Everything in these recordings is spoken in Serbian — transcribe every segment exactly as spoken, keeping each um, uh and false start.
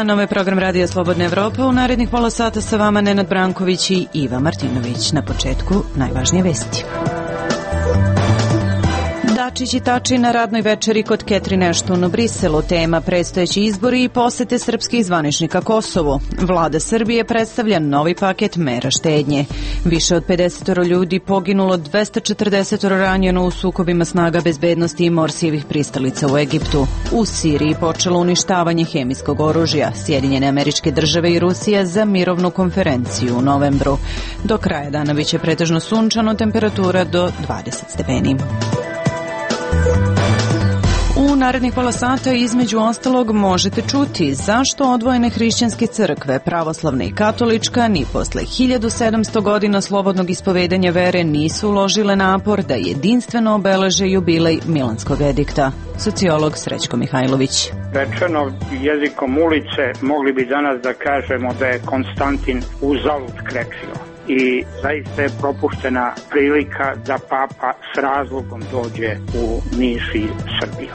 dan, ovo je program Radija Slobodna Evropa. U narednih pola sata sa vama Nenad Branković i Iva Martinović. Na početku najvažnije vesti. Dačić i Tači na radnoj večeri kod Catherine Ashton u Briselu. Tema predstojeći izbori i posete srpskih zvaničnika Kosovu. Vlada Srbije predstavlja novi paket mera štednje. Više od pedeset ljudi poginulo, dvesta četrdeset ranjeno u sukobima snaga bezbednosti i Morsijevih pristalica u Egiptu. U Siriji počelo uništavanje hemijskog oružja. Sjedinjene Američke Države i Rusija za mirovnu konferenciju u novembru. Do kraja dana biće pretežno sunčano, temperatura do dvadeset stepeni. U narednih pola sata između ostalog možete čuti zašto odvojene hrišćanske crkve, pravoslavna i katolička, ni posle hiljadu sedamsto godina slobodnog ispovedanja vere nisu uložile napor da jedinstveno obeleže jubilej Milanskog edikta. Sociolog Srećko Mihajlović. Rečeno jezikom ulice, mogli bi danas da kažemo da je Konstantin uzalud kreksio. I zaista je propuštena prilika da papa s razlogom dođe u Niš i Srbiju.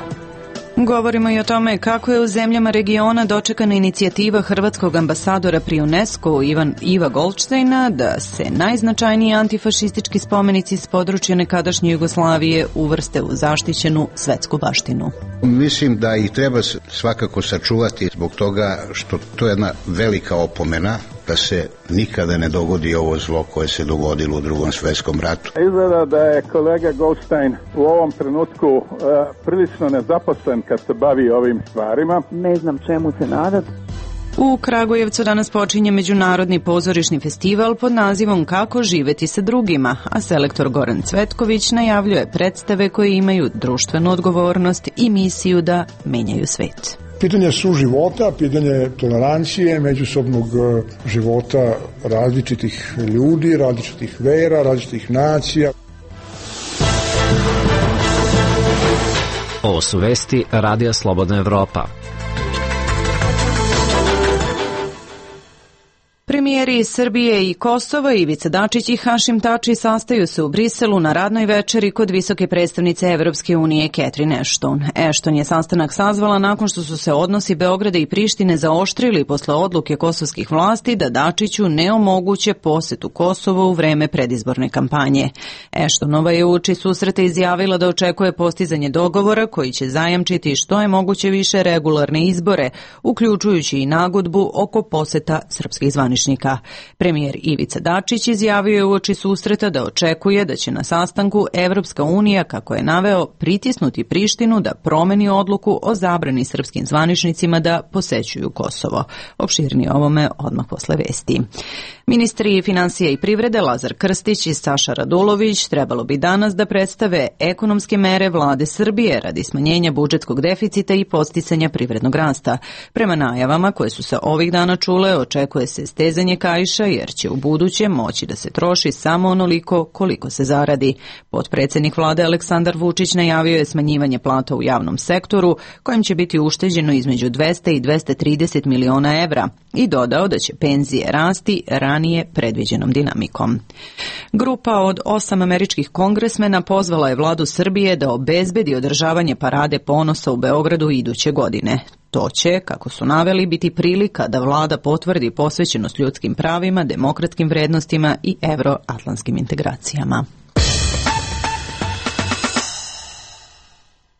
Govorimo i o tome kako je u zemljama regiona dočekana inicijativa hrvatskog ambasadora pri UNESCO Ivan, Iva Goldsteina da se najznačajniji antifašistički spomenici s područja nekadašnje Jugoslavije uvrste u zaštićenu svetsku baštinu. Mislim da ih treba svakako sačuvati zbog toga što to je jedna velika opomena da se nikada ne dogodi ovo zlo koje se dogodilo u Drugom svjetskom ratu. Izgleda da je kolega Goldstein u ovom trenutku uh, prilično nezaposlen kad se bavi ovim stvarima. Ne znam čemu se nadati. U Kragujevcu danas počinje Međunarodni pozorišni festival pod nazivom Kako živeti sa drugima, a selektor Goran Cvetković najavljuje predstave koje imaju društvenu odgovornost i misiju da menjaju svet. Pitanje suživota, pitanje tolerancije, međusobnog života različitih ljudi, različitih vera, različitih nacija. Ovo su vesti Radija Slobodna Evropa. Premijeri Srbije i Kosova Ivica Dačić i Hašim Tači sastaju se u Briselu na radnoj večeri kod visoke predstavnice Evropske unije Catherine Ashton. Ashton je sastanak sazvala nakon što su se odnosi Beograda i Prištine zaoštrili posle odluke kosovskih vlasti da Dačiću ne omoguće posetu Kosovo u vreme predizborne kampanje. Ashtonova je uoči susreta izjavila da očekuje postizanje dogovora koji će zajamčiti što je moguće više regularne izbore, uključujući i nagodbu oko poseta srpskih zvaničnika. Premijer Ivica Dačić izjavio je uoči susreta da očekuje da će na sastanku Evropska unija, kako je naveo, pritisnuti Prištinu da promeni odluku o zabrani srpskim zvaničnicima da posećuju Kosovo. Opširnije ovome odmah posle vesti. Ministri finansija i privrede Lazar Krstić i Saša Radulović trebalo bi danas da predstave ekonomske mere vlade Srbije radi smanjenja budžetskog deficita i podsticanja privrednog rasta. Prema najavama koje su se ovih dana čule, očekuje se stezanje kaiša jer će u buduće moći da se troši samo onoliko koliko se zaradi. Potpredsednik vlade Aleksandar Vučić najavio je smanjivanje plata u javnom sektoru kojim će biti ušteđeno između dvesta i dvesta trideset miliona evra i dodao da će penzije rasti ranije predviđenom dinamikom. Grupa od osam američkih kongresmena pozvala je vladu Srbije da obezbedi održavanje parade ponosa u Beogradu iduće godine. To će, kako su naveli, biti prilika da vlada potvrdi posvećenost ljudskim pravima, demokratskim vrednostima i evroatlantskim integracijama.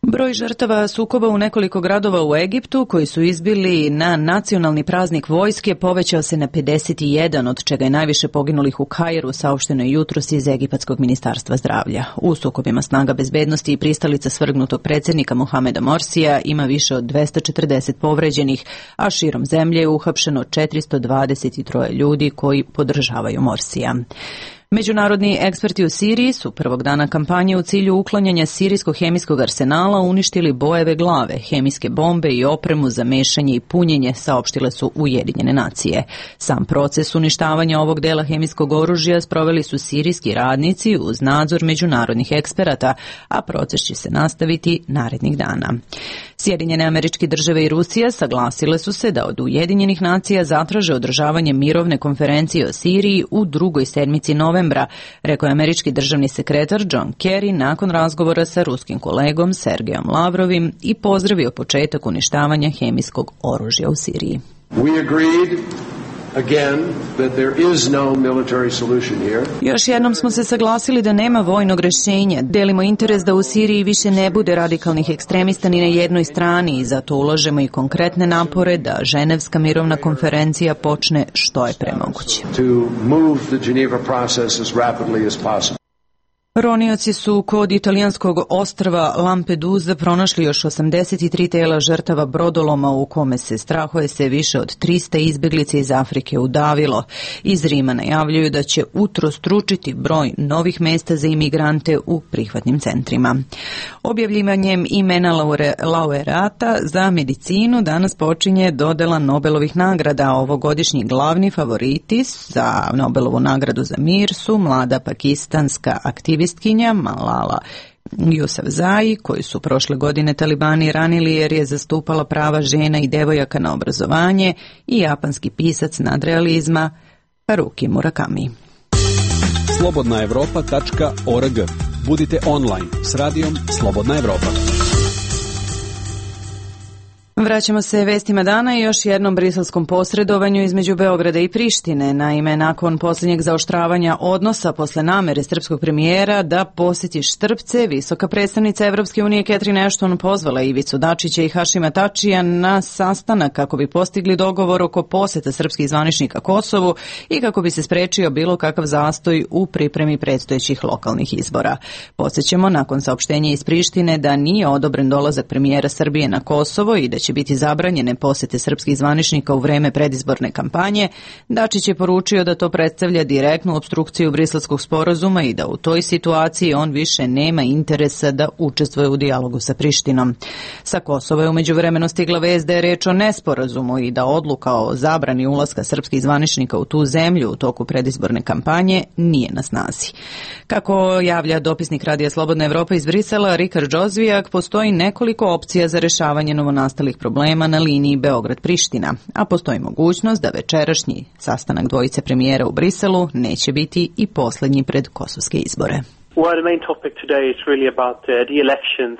Broj žrtava sukoba u nekoliko gradova u Egiptu koji su izbili na nacionalni praznik vojske povećao se na pedeset jedan, od čega je najviše poginulih u Kairu, saopšteno je jutros iz Egipatskog ministarstva zdravlja. U sukobima snaga bezbednosti i pristalica svrgnutog predsjednika Mohameda Morsija ima više od dvesta četrdeset povređenih, a širom zemlje je uhapšeno četiristo dvadeset tri ljudi koji podržavaju Morsija. Međunarodni eksperti u Siriji su prvog dana kampanje u cilju uklanjanja sirijskog hemijskog arsenala uništili bojeve glave, hemijske bombe i opremu za mešanje i punjenje, saopštile su Ujedinjene nacije. Sam proces uništavanja ovog dela hemijskog oružja sproveli su sirijski radnici uz nadzor međunarodnih eksperata, a proces će se nastaviti narednih dana. Sjedinjene Američke Države i Rusija saglasile su se da od Ujedinjenih nacija zatraže održavanje mirovne konferencije o Siriji u drugoj sedmici novembra, rekao je američki državni sekretar John Kerry nakon razgovora sa ruskim kolegom Sergejom Lavrovim i pozdravio početak uništavanja hemijskog oružja u Siriji. We agreed again that there is no military solution here. Još jednom smo se saglasili da nema vojnog rešenja. Delimo interes da u Siriji više ne bude radikalnih ekstremista ni na jednoj strani i zato ulažemo i konkretne napore da Ženevska mirovna konferencija počne što je pre moguće. To move the Geneva process as rapidly as possible. Ronioci su kod italijanskog ostrva Lampedusa pronašli još osamdeset tri tela žrtava brodoloma u kome se strahuje se više od trista izbeglica iz Afrike udavilo. Iz Rima najavljuju da će utrostručiti broj novih mesta za imigrante u prihvatnim centrima. Objavljivanjem imena laureata za medicinu danas počinje dodela Nobelovih nagrada. Ovogodišnji glavni favoriti za Nobelovu nagradu za mir su mlada pakistanska aktivistkinja Malala Yousafzai, koju su prošle godine talibani ranili jer je zastupala prava žena i devojaka na obrazovanje, i japanski pisac nadrealizma Haruki Murakami. slobodna evropa tačka org. Budite online s radijom Slobodna Evropa. Vraćamo se vestima dana i još jednom briselskom posredovanju između Beograda i Prištine. Naime, nakon posljednjeg zaoštravanja odnosa posle namere srpskog premijera da posjeti Štrpce, visoka predstavnica Evropske unije Catherine Ashton pozvala Ivicu Dačića i Hašima Tačija na sastanak kako bi postigli dogovor oko posjeta srpskih zvaničnika Kosovu i kako bi se sprečio bilo kakav zastoj u pripremi predstojećih lokalnih izbora. Podsjećamo, nakon saopštenja iz Prištine da nije odobren dolazak premijera Srbije na Kosovo i da će biti zabranjene posete srpskih zvaničnika u vreme predizborne kampanje, Dačić je poručio da to predstavlja direktnu opstrukciju briselskog sporazuma i da u toj situaciji on više nema interesa da učestvuje u dijalogu sa Prištinom. Sa Kosova je u međuvremenu stigla vest da je reč o nesporazumu i da odluka o zabrani ulaska srpskih zvaničnika u tu zemlju u toku predizborne kampanje nije na snazi. Kako javlja dopisnik Radija Slobodna Evropa iz Brisela, Rikard Džozvijak, postoji nekoliko opcija za rešavanje novonastalih problema na liniji Beograd-Priština, a postoji mogućnost da večerašnji sastanak dvojice premijera u Briselu neće biti i posljednji pred kosovske izbore.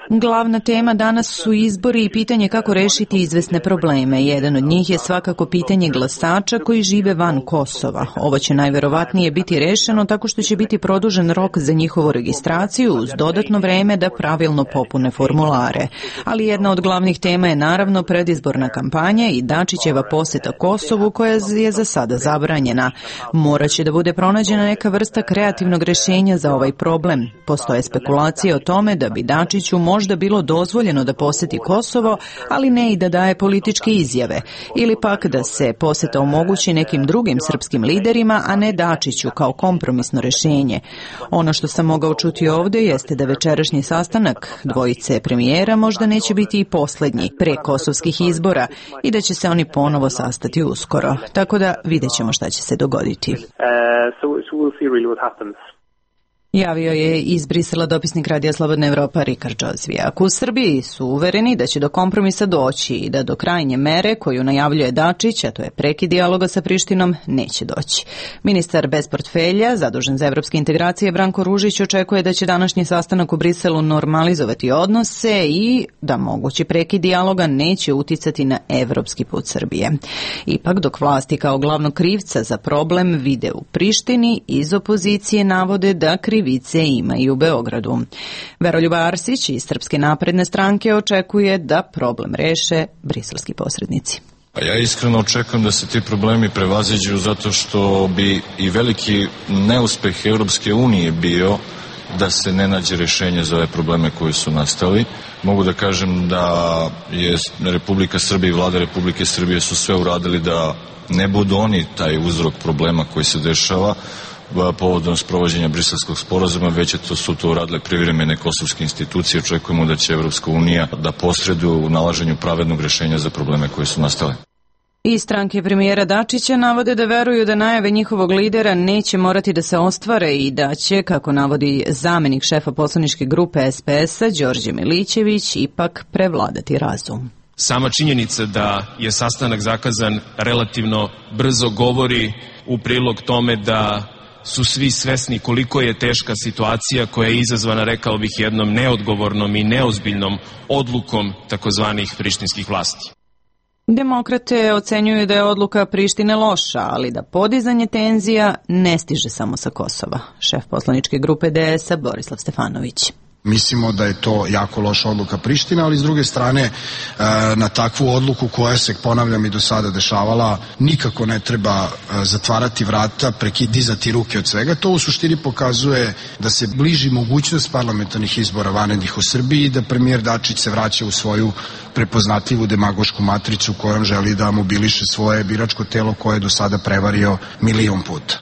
Glavna tema danas su izbori i pitanje kako rešiti izvesne probleme. Jedan od njih je svakako pitanje glasača koji žive van Kosova. Ovo će najverovatnije biti rešeno tako što će biti produžen rok za njihovu registraciju uz dodatno vreme da pravilno popune formulare. Ali jedna od glavnih tema je naravno predizborna kampanja i Dačićeva poseta Kosovu koja je za sada zabranjena. Moraće da bude pronađena neka vrsta kreativnog rešenja za ovaj problem. Postoje spekulacije o tome da bi Dačiću možda bilo dozvoljeno da poseti Kosovo, ali ne i da daje političke izjave, ili pak da se poseta omogući nekim drugim srpskim liderima, a ne Dačiću kao kompromisno rešenje. Ono što sam mogao čuti ovdje jeste da večerašnji sastanak dvojice premijera možda neće biti i posljednji pre kosovskih izbora i da će se oni ponovo sastati uskoro. Tako da vidjet ćemo šta će se dogoditi. Uh, so, so we'll see really what happens. Javio je iz Brisela dopisnik Radija Slobodna Evropa Rikard Džozvijak. U Srbiji su uvereni da će do kompromisa doći i da do krajnje mere koju najavljuje Dačić, a to je prekid dijaloga sa Prištinom, neće doći. Ministar bez portfelja, zadužen za evropske integracije, Branko Ružić, očekuje da će današnji sastanak u Briselu normalizovati odnose i da mogući prekid dijaloga neće uticati na evropski put Srbije. Ipak, dok vlasti kao glavnog krivca za problem vide u Prištini, iz opozicije navode da krivice ima i u Beogradu. Veroljub Arsić iz Srpske napredne stranke očekuje da problem reše briselski posrednici. Ja iskreno očekujem da se ti problemi prevaziđu zato što bi i veliki neuspeh Europske unije bio da se ne nađe rešenje za ove probleme koji su nastali. Mogu da kažem da je Republika Srbija i vlada Republike Srbije su sve uradili da ne budu oni taj uzrok problema koji se dešava povodom sprovođenja briselskog sporazuma, već to su to uradile privremene kosovske institucije. Očekujemo da će Evropska unija da posreduje u nalaženju pravednog rešenja za probleme koje su nastale. I stranke premijera Dačića navode da veruju da najave njihovog lidera neće morati da se ostvare i da će, kako navodi zamenik šefa poslaničke grupe S P S-a Đorđe Milićević, ipak prevladati razum. Sama činjenica da je sastanak zakazan relativno brzo govori u prilog tome da su svi svesni koliko je teška situacija koja je izazvana, rekao bih, jednom neodgovornom i neozbiljnom odlukom takozvanih prištinskih vlasti. Demokrate ocenjuju da je odluka Prištine loša, ali da podizanje tenzija ne stiže samo sa Kosova. Šef poslaničke grupe D S A Borislav Stefanović. Mislimo da je to jako loša odluka Prištine, ali s druge strane na takvu odluku koja se, ponavljam, i do sada dešavala, nikako ne treba zatvarati vrata, dizati ruke od svega. To u suštini pokazuje da se bliži mogućnost parlamentarnih izbora vanrednih u Srbiji i da premijer Dačić se vraća u svoju prepoznatljivu demagošku matricu kojom želi da mobiliše svoje biračko telo koje je do sada prevario milion puta.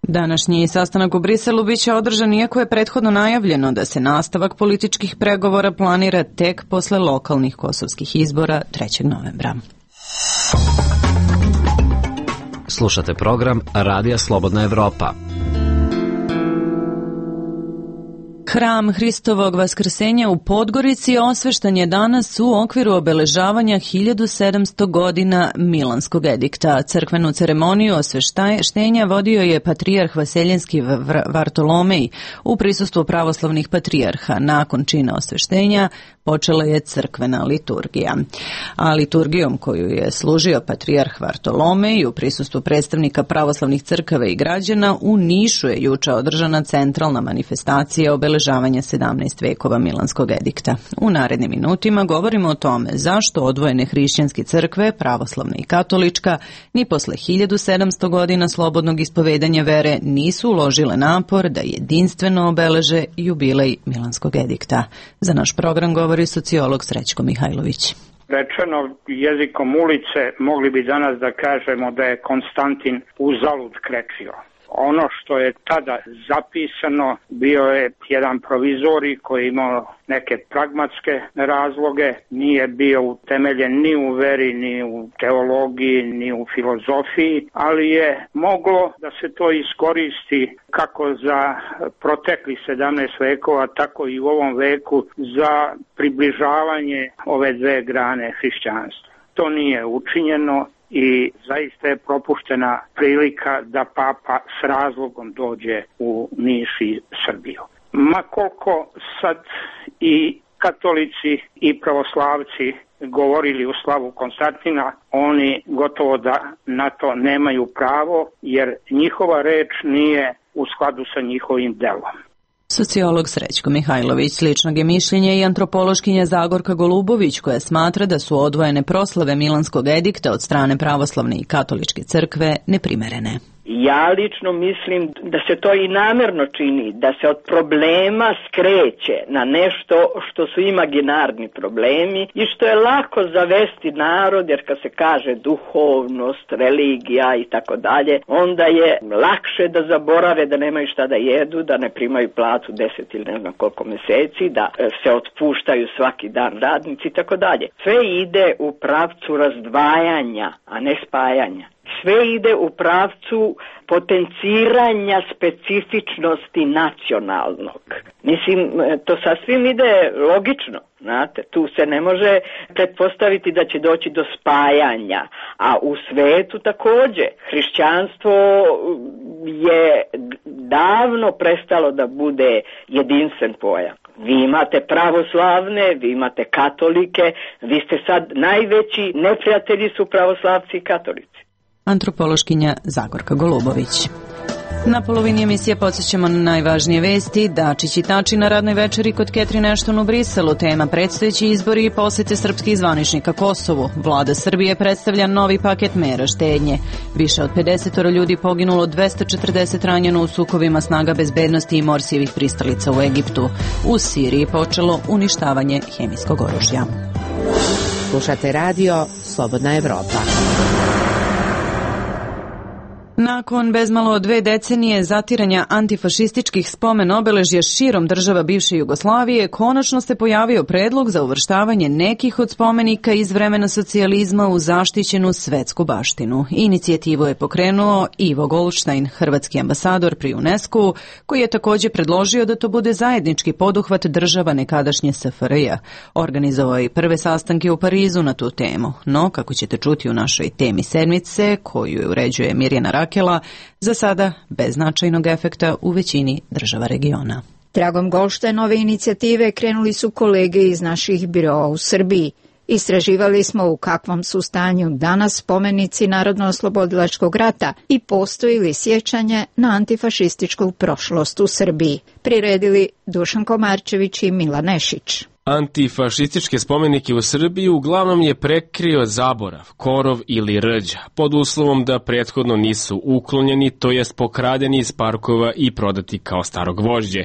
Današnji sastanak u Briselu biće održan iako je prethodno najavljeno da se nastavak političkih pregovora planira tek posle lokalnih kosovskih izbora trećeg novembra. Slušate program Radija Slobodna Evropa. Hram Hristovog vaskrsenja u Podgorici osveštan je danas u okviru obeležavanja hiljadu sedamsto godina Milanskog edikta. Crkvenu ceremoniju osveštenja vodio je patrijarh Vaseljenski Vartolomej u prisustvu pravoslavnih patrijarha. Nakon čina osveštenja počela je crkvena liturgija. A liturgijom koju je služio patrijarh Vartolomej u prisustvu predstavnika pravoslavnih crkava i građana u Nišu je juče održana centralna manifestacija obeležavanja sedamnaest vekova Milanskog edikta. U narednim minutima govorimo o tome zašto odvojene hrišćanske crkve, pravoslavna i katolička, ni posle hiljadu sedamsto godina slobodnog ispovedanja vere nisu uložile napor da jedinstveno obeleže jubilej Milanskog edikta. Za naš program govori sociolog Srećko Mihajlović. Rečeno jezikom ulice, mogli bi danas da kažemo da je Konstantin uzalud krečio. Ono što je tada zapisano bio je jedan provizorij koji je imao neke pragmatske razloge, nije bio utemeljen ni u veri, ni u teologiji, ni u filozofiji, ali je moglo da se to iskoristi kako za proteklih sedamnaest vekova, tako i u ovom veku za približavanje ove dve grane hrišćanstva. To nije učinjeno i zaista je propuštena prilika da papa s razlogom dođe u Niš i Srbiju. Ma koliko sad i katolici i pravoslavci govorili u slavu Konstantina, oni gotovo da na to nemaju pravo, jer njihova reč nije u skladu sa njihovim delom. Sociolog Srećko Mihajlović. Sličnog je mišljenje i antropološkinja Zagorka Golubović, koja smatra da su odvojene proslave Milanskog edikta od strane pravoslavne i katoličke crkve neprimerene. Ja lično mislim da se to i namerno čini, da se od problema skreće na nešto što su imaginarni problemi i što je lako zavesti narod, jer kad se kaže duhovnost, religija i tako dalje, onda je lakše da zaborave da nemaju šta da jedu, da ne primaju platu deset ili ne znam koliko meseci, da se otpuštaju svaki dan radnici i tako dalje. Sve ide u pravcu razdvajanja, a ne spajanja. Sve ide u pravcu potenciranja specifičnosti nacionalnog. Mislim, to sasvim ide logično, znate, tu se ne može pretpostaviti da će doći do spajanja, a u svetu takođe. Hrišćanstvo je davno prestalo da bude jedinstven pojam. Vi imate pravoslavne, vi imate katolike, vi ste sad najveći neprijatelji su pravoslavci i katolici. Antropološkinja Zagorka Golubović. Na polovini emisije podsjećamo na najvažnije vesti. Dačić i Tači na radnoj večeri kod Catherine Ashton u Briselu. Tema predstojeći izbori i posete srpskih zvaničnika Kosovu. Vlada Srbije predstavlja novi paket mera štednje. Više od pedeset ljudi poginulo, dvesta četrdeset ranjeno u sukobima snaga bezbednosti i Morsijevih pristalica u Egiptu. U Siriji počelo uništavanje hemijskog oružja. Slušate radio Slobodna Evropa. Nakon bezmalo dve decenije zatiranja antifašističkih spomen obeležja širom država bivše Jugoslavije, konačno se pojavio predlog za uvrštavanje nekih od spomenika iz vremena socijalizma u zaštićenu svetsku baštinu. Inicijativu je pokrenuo Ivo Goldstein, hrvatski ambasador pri UNESCO, koji je također predložio da to bude zajednički poduhvat država nekadašnje S F R J. Organizovao je i prve sastanke u Parizu na tu temu. No, kako ćete čuti u našoj temi sedmice, koju je uređuje Mirjana Rakela, za sada bez značajnog efekta u većini država regiona. Tragom Goldsteinove inicijative krenuli su kolege iz naših biroa u Srbiji. Istraživali smo u kakvom su stanju danas spomenici Narodno-oslobodilačkog rata i postoji li sjećanje na antifašističku prošlost u Srbiji. Priredili Dušan Komarčević i Mila Nešić. Antifašističke spomenike u Srbiji uglavnom je prekrio zaborav, korov ili rđa, pod uslovom da prethodno nisu uklonjeni, to jest pokradeni iz parkova i prodati kao staro gvožđe.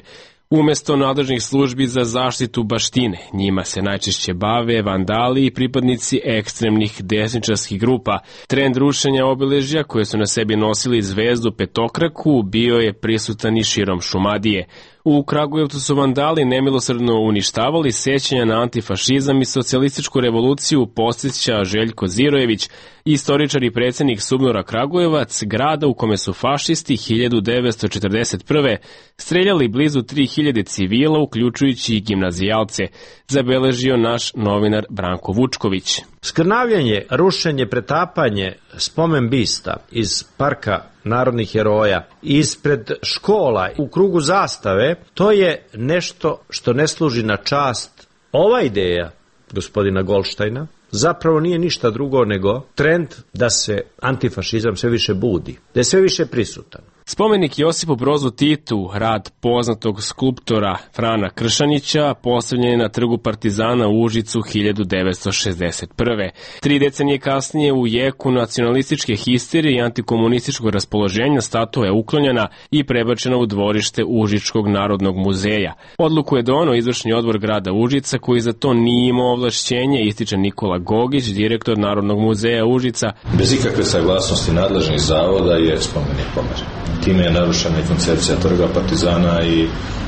Umesto nadležnih službi za zaštitu baštine, njima se najčešće bave vandali i pripadnici ekstremnih desničarskih grupa. Trend rušenja obeležja koje su na sebi nosili zvezdu petokraku bio je prisutan i širom Šumadije. U Kragujevcu su vandali nemilosrdno uništavali sećanja na antifašizam i socijalističku revoluciju, podsjeća Željko Zirojević, istoričar i predsjednik Subnora Kragujevac, grada u kome su fašisti hiljadu devetsto četrdeset prve streljali blizu tri hiljade civila, uključujući i gimnazijalce, zabeležio naš novinar Branko Vučković. Skrnavljanje, rušenje, pretapanje spomen bista iz parka narodnih heroja, ispred škola, u krugu zastave, to je nešto što ne služi na čast. Ova ideja gospodina Goldsteina zapravo nije ništa drugo nego trend da se antifašizam sve više budi, da je sve više prisutan. Spomenik Josipu Brozu Titu, rad poznatog skulptora Frana Kršanića, postavljen je na trgu Partizana u Užicu hiljadu devetsto šezdeset prve. Tri decenije kasnije, u jeku nacionalističke histerije i antikomunističkog raspoloženja, statua je uklonjena i prebačena u dvorište Užičkog narodnog muzeja. Odluku je doneo izvršni odbor grada Užica, koji za to nije imao ovlašćenje, ističe Nikola Gogić, direktor Narodnog muzeja Užica. Bez ikakve saglasnosti nadležnih zavoda je spomenik pomeren. Time je narušena i koncepcija trga Partizana i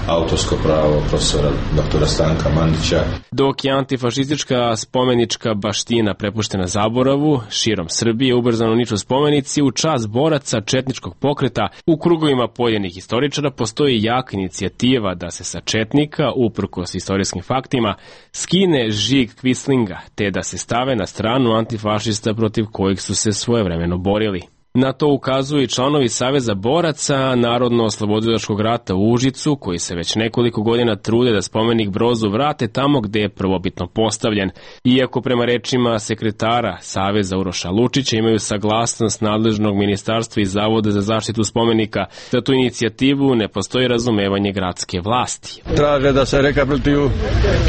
autorsko pravo profesora doktora Stanka Mandića. Dok je antifašistička spomenička baština prepuštena zaboravu, širom Srbije ubrzano niču spomenici u čast boraca četničkog pokreta. U krugovima pojedinih istoričara postoji jaka inicijativa da se sa četnika, uprkos istorijskim faktima, skine žig Quislinga, te da se stave na stranu antifašista protiv kojih su se svojevremeno borili. Na to ukazuju i članovi Saveza boraca Narodno-oslobodilačkog rata u Užicu, koji se već nekoliko godina trude da spomenik Brozu vrate tamo gde je prvobitno postavljen. Iako prema rečima sekretara Saveza Uroša Lučića imaju saglasnost nadležnog ministarstva i Zavoda za zaštitu spomenika, za tu inicijativu ne postoji razumevanje gradske vlasti. Traže da se rekapituluju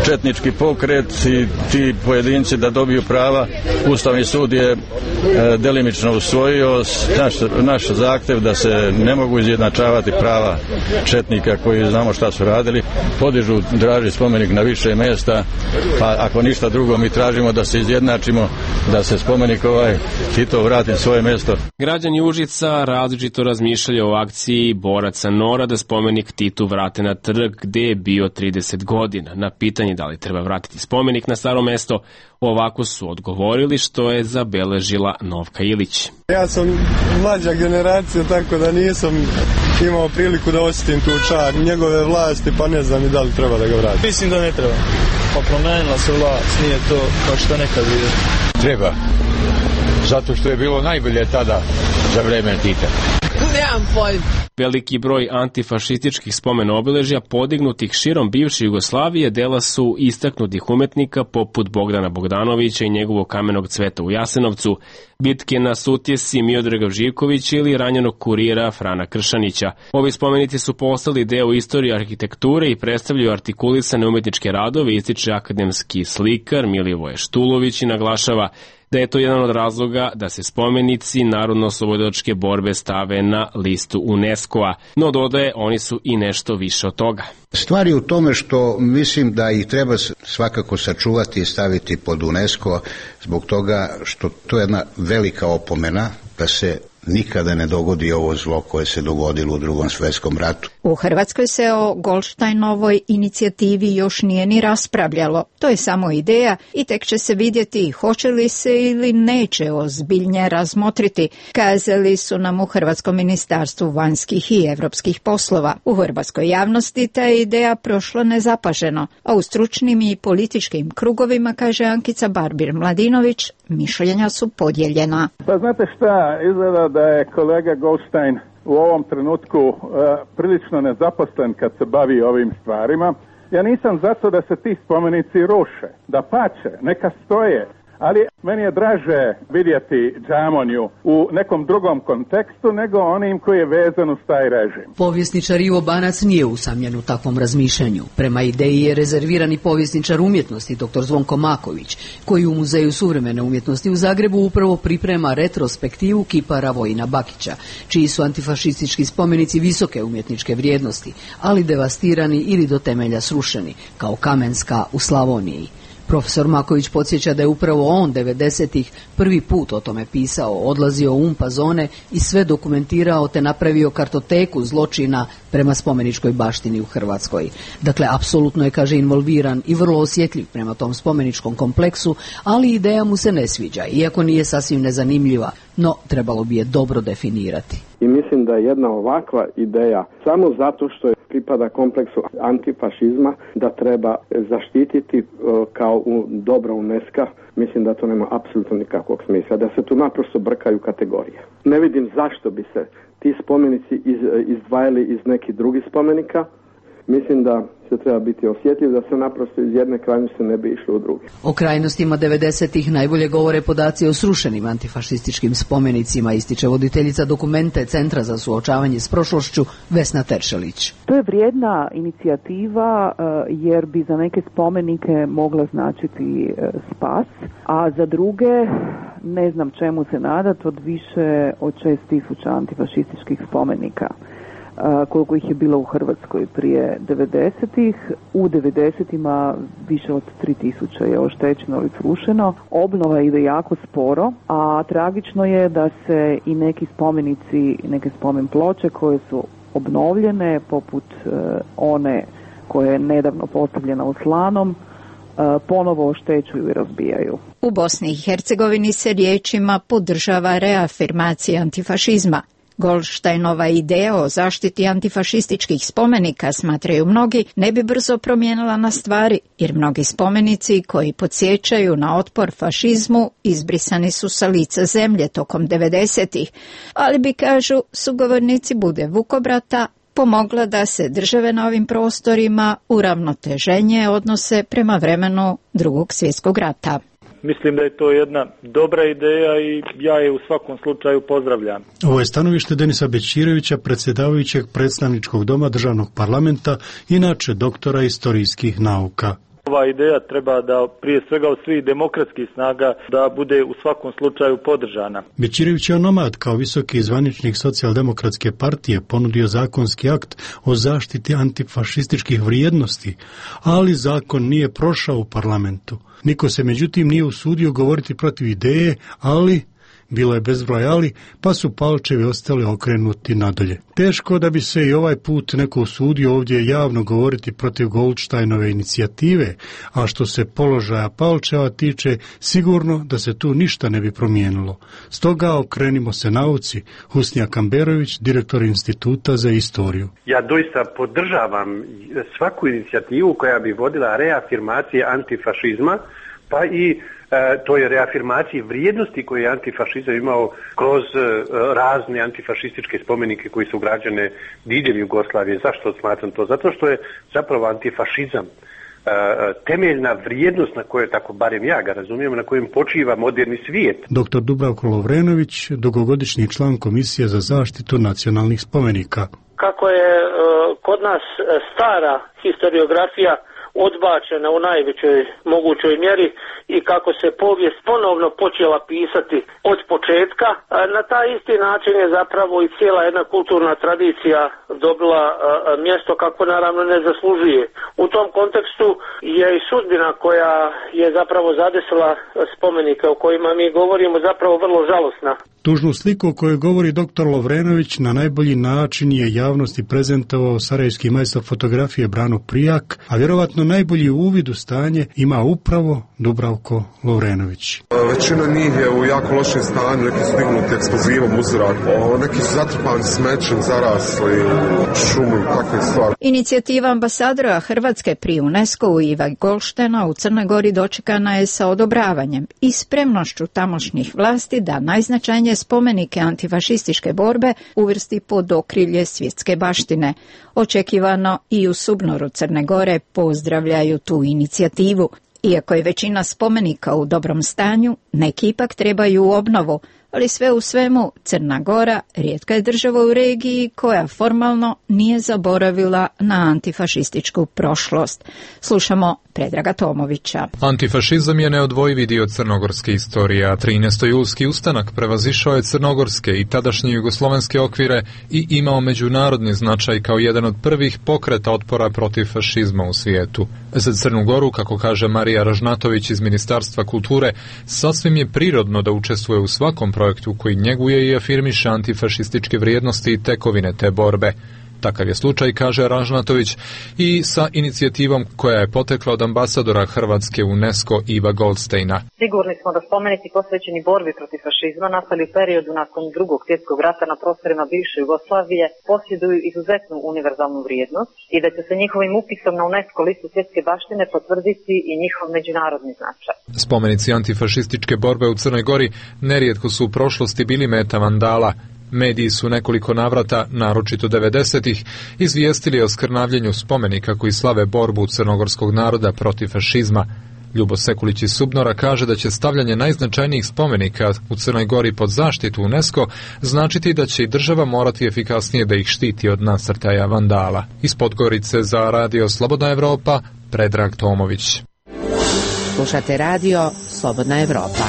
četnički pokret i ti pojedinci da dobiju prava. Ustavni sud je e, delimično usvojio Naš, naš zahtev da se ne mogu izjednačavati prava četnika koji znamo šta su radili, podižu draži spomenik na više mjesta, pa ako ništa drugo mi tražimo da se izjednačimo, da se spomenik ovaj Tito vrati na svoje mjesto. Građani Užica različito razmišljaju o akciji boraca Nora da spomenik Titu vrate na trg gde je bio trideset godina. Na pitanje da li treba vratiti spomenik na staro mesto, ovako su odgovorili, što je zabeležila Novka Ilić. Ja sam mlađa generacija, tako da nisam imao priliku da osjetim tu čar njegove vlasti, pa ne znam i da li treba da ga vrati. Mislim da ne treba. Pa promenila se vlast, nije to kao što nekad vidio. Treba, zato što je bilo najbolje tada za vreme Tita. Nemam pojma. Veliki broj antifašističkih spomen obeležja podignutih širom bivše Jugoslavije dela su istaknutih umetnika poput Bogdana Bogdanovića i njegovog Kamenog cveta u Jasenovcu, bitke na Sutjesi Miodraga Živkovića ili ranjenog kurira Frana Kršanića. Ovi spomenici su postali deo istorije arhitekture i predstavljaju artikulisane umetničke radove, ističe akademski slikar Milivoje Štulović i naglašava da je to jedan od razloga da se spomenici narodno-oslobodilačke borbe stave na listu UNESCO-a, no dodaje oni su i nešto više od toga. Stvari u tome što mislim da ih treba svakako sačuvati i staviti pod UNESCO zbog toga što to je jedna velika opomena da se nikada ne dogodi ovo zlo koje se dogodilo u Drugom svjetskom ratu. U Hrvatskoj se o Goldsteinovoj inicijativi još nije ni raspravljalo. To je samo ideja i tek će se vidjeti hoće li se ili neće ozbiljnije razmotriti, kazali su nam u Hrvatskom ministarstvu vanjskih i europskih poslova. U hrvatskoj javnosti ta je ideja prošla nezapaženo, a u stručnim i političkim krugovima, kaže Ankica Barbir-Mladinović, mišljenja su podijeljena. Pa znate šta, izgleda da je kolega Goldstein u ovom trenutku uh, prilično nezaposlen kad se bavi ovim stvarima. Ja nisam zato da se ti spomenici ruše, da pače, neka stoje, ali meni je draže vidjeti džamonju u nekom drugom kontekstu nego onim koji je vezan uz taj režim. Povjesničar Ivo Banac nije usamljen u takvom razmišljanju. Prema ideji je rezervirani povjesničar umjetnosti dr. Zvonko Maković, koji u Muzeju suvremene umjetnosti u Zagrebu upravo priprema retrospektivu kipara Vojina Bakića, čiji su antifašistički spomenici visoke umjetničke vrijednosti, ali devastirani ili do temelja srušeni, kao Kamenska u Slavoniji. Profesor Maković podsjeća da je upravo on devedesetih prvi put o tome pisao, odlazio u umpa zone i sve dokumentirao te napravio kartoteku zločina prema spomeničkoj baštini u Hrvatskoj. Dakle, apsolutno je, kaže, involviran i vrlo osjetljiv prema tom spomeničkom kompleksu, ali ideja mu se ne sviđa, iako nije sasvim nezanimljiva, no trebalo bi je dobro definirati. I mislim da je jedna ovakva ideja samo zato što je pripada kompleksu antifašizma da treba zaštititi uh, kao u dobro UNESCO, mislim da to nema apsolutno nikakvog smisla, da se tu naprosto brkaju kategorije. Ne vidim zašto bi se ti spomenici iz, izdvajali iz nekih drugih spomenika. Mislim da se treba biti osjetljiv, da se naprosto iz jedne krajnosti ne bi išlo u druge. O krajnostima devedesetih najbolje govore podaci o srušenim antifašističkim spomenicima, ističe voditeljica dokumente Centra za suočavanje s prošlošću Vesna Teršelić. To je vrijedna inicijativa jer bi za neke spomenike mogla značiti spas, a za druge ne znam čemu se nadati od više od šest tisuća antifašističkih spomenika. Koliko ih je bilo u Hrvatskoj prije devedesetih. U devedesetima više od tri tisuće je oštećeno ili srušeno. Obnova ide jako sporo, a tragično je da se i neki spomenici, neke spomen ploče koje su obnovljene, poput uh, one koja je nedavno postavljena u Slanom, uh, ponovo oštećuju i razbijaju. U Bosni i Hercegovini se riječima podržava reafirmacija antifašizma. Goldsteinova ideja o zaštiti antifašističkih spomenika, smatraju mnogi, ne bi brzo promijenila na stvari, jer mnogi spomenici koji podsjećaju na otpor fašizmu izbrisani su sa lica zemlje tokom devedesetih, ali bi, kažu sugovornici Bude Vukobrata, pomogla da se države na ovim prostorima uravnoteženje odnose prema vremenu Drugog svjetskog rata. Mislim da je to jedna dobra ideja i ja je u svakom slučaju pozdravljam. Ovo je stanovište Denisa Bećirevića, predsjedavajućeg predstavničkog doma državnog parlamenta, inače doktora istorijskih nauka. Ova ideja treba da prije svega od svih demokratskih snaga da bude u svakom slučaju podržana. Bećirević je onomad kao visoki zvaničnik socijaldemokratske partije ponudio zakonski akt o zaštiti antifašističkih vrijednosti, ali zakon nije prošao u parlamentu. Niko se međutim nije usudio govoriti protiv ideje, ali bilo je bezbroj ali, pa su palčevi ostali okrenuti nadalje. Teško da bi se i ovaj put neko usudio ovdje javno govoriti protiv Goldsteinove inicijative, a što se položaja palčeva tiče, sigurno da se tu ništa ne bi promijenilo. Stoga okrenimo se nauci. Husnija Kamberović, direktor Instituta za istoriju. Ja doista podržavam svaku inicijativu koja bi vodila reafirmacije antifašizma, pa i E, to je reafirmacije vrijednosti koje je antifašizam imao kroz e, razne antifašističke spomenike koji su građane diljem Jugoslavije. Zašto smatram to? Zato što je zapravo antifašizam e, temeljna vrijednost na kojoj, tako barem ja ga razumijem, na kojem počiva moderni svijet. Doktor Dubravko Lovrenović, dugogodišnji član Komisije za zaštitu nacionalnih spomenika. Kako je e, kod nas stara historiografija odbačena u najvećoj mogućoj mjeri i kako se povijest ponovno počela pisati od početka, na taj isti način je zapravo i cijela jedna kulturna tradicija dobila mjesto kako naravno ne zaslužuje. U tom kontekstu je i sudbina koja je zapravo zadesila spomenike o kojima mi govorimo zapravo vrlo žalosna. Tužnu sliku o kojoj govori doktor Lovrenović na najbolji način je javnosti prezentovao sarajevski majstor fotografije Brano Prijak, a vjerovatno najbolji uvid u stanje ima upravo Dubravko Lovrenović. Većina njih je u jako lošem stanju, neki su dignuti eksplozivom u zrak, neki su zatrpani smećem, zarasli šumu i takve stvari. Inicijativa ambasadora Hrvatske pri UNESCO-u Iva Goldsteina u Crnoj Gori dočekana je sa odobravanjem i spremnošću tamošnjih vlasti da najznačajnije brojne spomenike antifašističke borbe uvrsti pod okrilje svjetske baštine. Očekivano i u Subnoru Crne Gore pozdravljaju tu inicijativu. Iako je većina spomenika u dobrom stanju, neki ipak trebaju obnovu, ali sve u svemu Crna Gora rijetka je država u regiji koja formalno nije zaboravila na antifašističku prošlost. Slušamo Predraga Tomovića. Antifašizam je neodvojivi dio crnogorske istorije, a trinaestojulski ustanak prevazišao je crnogorske i tadašnje jugoslovenske okvire i imao međunarodni značaj kao jedan od prvih pokreta otpora protiv fašizma u svijetu. Za Crnu Goru, kako kaže Marija Ražnatović iz Ministarstva kulture, sasvim je prirodno da učestvuje u svakom projektu koji njeguje i afirmiše antifašističke vrijednosti i tekovine te borbe. Takav je slučaj, kaže Ražnatović, i sa inicijativom koja je potekla od ambasadora Hrvatske UNESCO Iva Goldsteina. Sigurni smo da spomenici posvećeni borbi protiv fašizma nastali u periodu nakon drugog svjetskog rata na prostorima bivše Jugoslavije posjeduju izuzetnu univerzalnu vrijednost i da će se njihovim upisom na UNESCO listu svjetske baštine potvrditi i njihov međunarodni značaj. Spomenici antifašističke borbe u Crnoj Gori nerijetko su u prošlosti bili meta vandala. Mediji su nekoliko navrata, naročito devedesetih, izvijestili o skrnavljenju spomenika koji slave borbu crnogorskog naroda protiv fašizma. Ljubo Sekulić iz Subnora kaže da će stavljanje najznačajnijih spomenika u Crnoj Gori pod zaštitu UNESCO značiti da će i država morati efikasnije da ih štiti od nasrtaja vandala. Iz Podgorice za Radio Slobodna Evropa, Predrag Tomović. Slušate Radio Slobodna Evropa.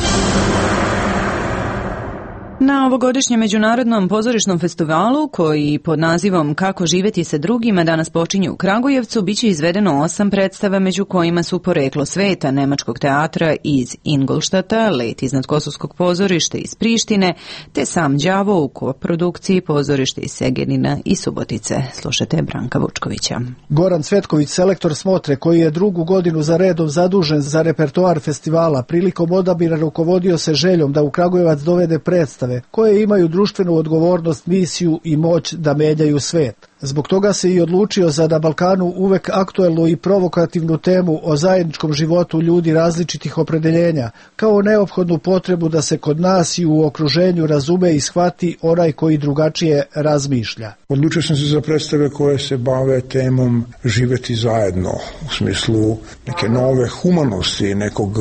Na ovogodišnjem međunarodnom pozorišnom festivalu, koji pod nazivom Kako živjeti sa drugima danas počinje u Kragujevcu, biće izvedeno osam predstava, među kojima su Poreklo sveta nemačkog teatra iz Ingolštata, Let iznad Kosovskog pozorišta iz Prištine, te Sam đavo u koprodukciji pozorište iz Segenina i Subotice. Slušajte Branka Vučkovića. Goran Cvetković, selektor Smotre, koji je drugu godinu za redom zadužen za repertoar festivala, prilikom odabira rukovodio se željom da u Kragujevac dovede predstave koje imaju društvenu odgovornost, misiju i moć da menjaju svet. Zbog toga se i odlučio za na Balkanu uvek aktuelnu i provokativnu temu o zajedničkom životu ljudi različitih opredeljenja, kao neophodnu potrebu da se kod nas i u okruženju razume i shvati onaj koji drugačije razmišlja. Odlučio sam se za predstave koje se bave temom živjeti zajedno, u smislu neke nove humanosti, nekog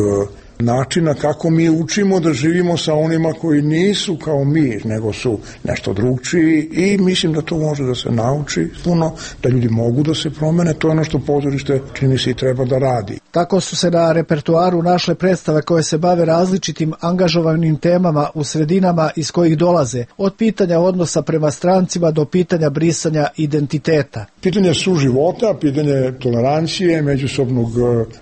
načina kako mi učimo da živimo sa onima koji nisu kao mi, nego su nešto drugčiji, i mislim da to može da se nauči puno, da ljudi mogu da se promene. To je ono što pozorište čini se i treba da radi. Tako su se na repertoaru našle predstave koje se bave različitim angažovanim temama u sredinama iz kojih dolaze, od pitanja odnosa prema strancima do pitanja brisanja identiteta. Pitanje suživota, pitanje tolerancije, međusobnog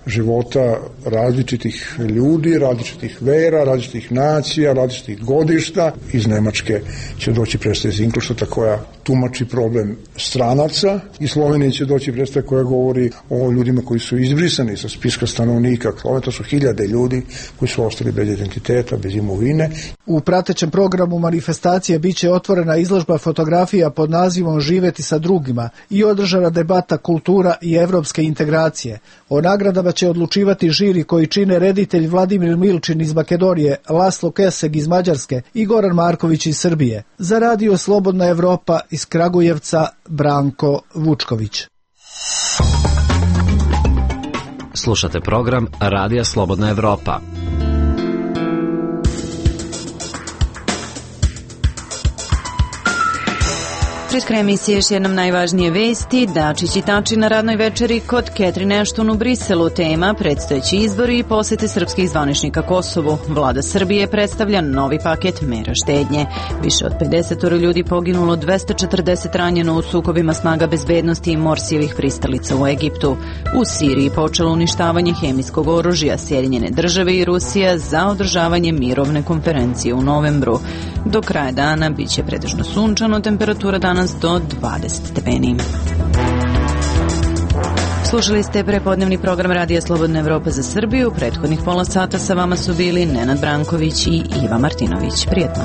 života različitih ljudi, različitih vera, različitih nacija, različitih godišta. Iz Nemačke će doći predstava iz Ingolštata koja tumači problem stranaca, i Slovenije će doći predstava koja govori o ljudima koji su izbrisani sa spiska stanovnika. To su hiljade ljudi koji su ostali bez identiteta, bez imovine. U pratećem programu manifestacije biće otvorena izložba fotografija pod nazivom Živjeti sa drugima i održana debata kultura i evropske integracije. O nagradama će odlučivati žiri koji čine reditelj Vladimir Milčin iz Makedonije, Laslo Keseg iz Mađarske i Goran Marković iz Srbije. Za Radio Slobodna Evropa iz Kragujevca, Branko Vučković. Slušate program Radija Slobodna Evropa. Pred krajem emisije još jednom najvažnije vesti. Dačić i Tači na radnoj večeri kod Catherine Ashton u Briselu. Tema predstojeći izbori i posete srpskih zvaničnika Kosovu. Vlada Srbije predstavlja novi paket mera štednje. Više od pedeset ljudi poginulo, dvesta četrdeset ranjeno u sukobima snaga bezbednosti i Morsijevih pristalica u Egiptu. U Siriji počelo uništavanje hemijskog oružja. Sjedinjene države i Rusija za održavanje mirovne konferencije u novembru. Do kraja dana biće pretežno sunčano, temperatura danas do dvadeset stepeni. Slušali ste prepodnevni program Radija Slobodna Evropa za Srbiju. Prethodnih pola sata sa vama su bili Nenad Branković i Iva Martinović. Prijetno.